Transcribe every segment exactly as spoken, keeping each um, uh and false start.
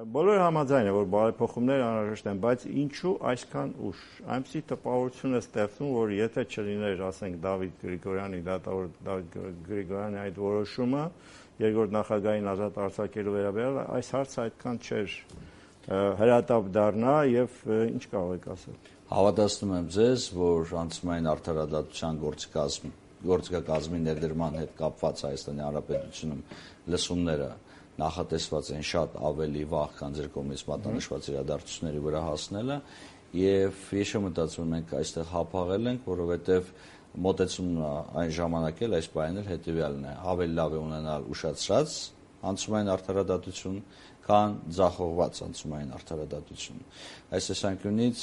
Բոլորը համաձայն են, որ բարեփոխումներ անհրաժեշտ են, բայց ինչու այսքան ուշ։ Այնպիսի տպավորություն է ստեղծում, որ եթե չլիներ, ասենք, Դավիթ Գրիգորյանի, դատավոր Դավիթ Գրիգորյանի այդ որոշումը, երկրորդ նախագահային ազատ արձակելու վերաբերյալ, այս հարցը այդքան չէր հրատապ դառնա եւ ինչ կարող եք ասել։ Հավատացնում եմ ձեզ, որ անցումային արդարադատության գործիքազմի գործիքակազմի ներդրման հետ կապված Հայաստանի Հանրապետությունում լսումները նախատեսված են շատ ավելի վաղ, քան ձեր կողմից մատնանշված իրադարձությունների վրա հասնելը, եւ ես չեմ մտածում մենք այստեղ հապաղել ենք, որովհետեւ մոտեցումն այն ժամանակ էլ այս բանն էլ հետեւյալն է, ավելի լավ է ունենալ ուշացրած անցումային արդարադատություն, քան ձախողված անցումային արդարադատություն։ Այս տեսանկյունից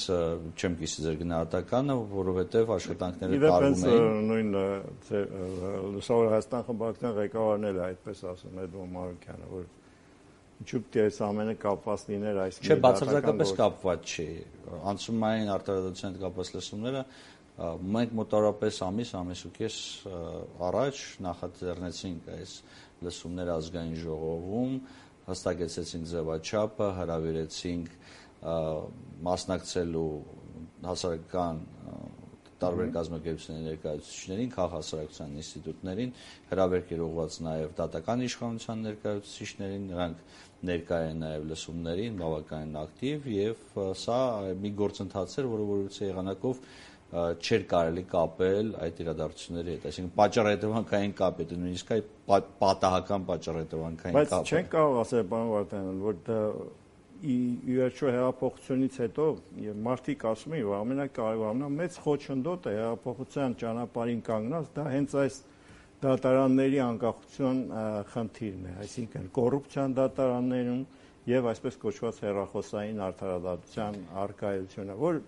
չեմ կիսի ձեր գնահատականը, որովհետև աշխատանքները տարվում էին։ Նույն Լուսավոր Հայաստան խմբակցության ղեկավարն էլ այդպես ասում է Էդմոն Մարուկյանը, որ ինչու՞ պետք է այս ամենը կապված լիներ այս Չէ, բացարձակապես կապված չի։ Անցումային արդարադատության հետ կապված լսումները մենք մոտավորապես ամիս, ամիս ու կես առաջ նախաձեռնեցինք այս լսումները ազգային ժողովում, հստակեցրեցինք ձևաչափը, հրավիրեցինք մասնակցելու հասարակական տարբեր կազմակերպությունների ներկայացուցիչներին, քաղաքասարակության ինստիտուտներին, հրավերք էր ուղղված նաև դատական իշխանության ներկայացուցիչներին, նրանք ներկայ են նաև լսումներին, բավականին ակտիվ, եւ սա մի գործընթաց էր, որը որևիցե եղանակով չէր կարելի կապել այդ իրադարձությունների հետ, այսինքն պատճառահետևանքային կապ է, նույնիսկ այ պատահական պատճառահետևանքային կապ է։ Բայց չենք կարող ասել, պարոն Վարդանյան, որ դա ի վերջո հեղափոխությունից հետո եւ մարդիկ ասում են, որ ամենակարևորն է մեծ խոչընդոտը հեղափոխության ճանապարհին կանգնած, դա հենց այս դատարանների անկախության խնդիրն է, այսինքն կոռուպցիան դատարաններում եւ այսպես կոչված հեռախոսային արդարադատության արկայությունը, որ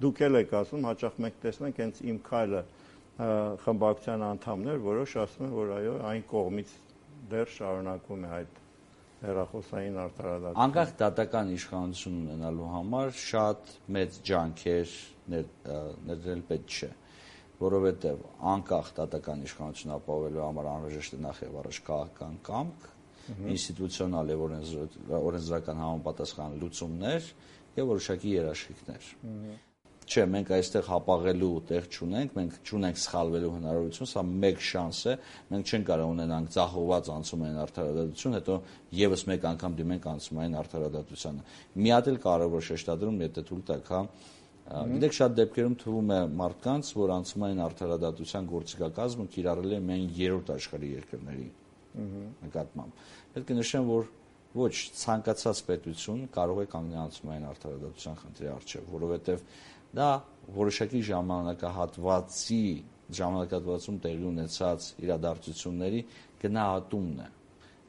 դուք էլ եք ասում, հաճախ մենք տեսնենք հենց Իմ քայլը խմբակցության անդամներ, որոշ ասում են, որ այո, այն կողմից դեռ շարունակվում է այդ հեռախոսային արդարադատությունը։ Անկախ դատական իշխանություն ունենալու համար շատ մեծ ջանքեր ներդրել պետք չէ, որովհետև անկախ դատական իշխանություն ապահովելու համար անհրաժեշտ է նախ եւ առաջ քաղաքական կամք, ինստիտուցիոնալ եւ օրենսդրական համապատասխան լուծումներ եւ որոշակի երաշխիքներ։ Չէ, մենք այստեղ հապաղելու տեղ չունենք, մենք չունենք սխալվելու հնարավորություն, սա մեկ շանս է, մենք չենք կարող ունենանք ձախողված անցումային արդարադատություն, հետո եւս մեկ անգամ դիմենք անցումային արդարադատությանը։ Մի հատ էլ կարևոր շեշտադրում, եթե թույլ տաք, հա, գիտեք, շատ դեպքերում թվում է մարդկանց, որ անցումային արդարադատության գործիքակազմը կիրառել է միայն երրորդ աշխարհի երկրների նկատմամբ։ Պետք է նշեմ, որ ոչ ցանկացած պետություն կարող է կանգնել անցումային արդարադատության խնդրի առջև, որովհետև դա որոշակի ժամանակահատվածի ժամանակահատվածում տեղի ունեցած իրադարձությունների գնահատումն է։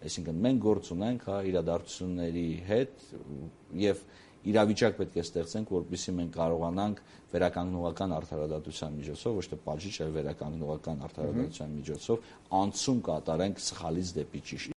Այսինքն մենք գործ ունենք հա իրադարձությունների հետ եւ իրավիճակ պետք է ստեղծենք, որպեսզի մենք կարողանանք վերականգնողական արդարադատության միջոցով, ոչ թե պատժիչ, այլ վերականգնողական արդարադատության միջոցով անցում կատարենք սխալից դեպի ճիշտ։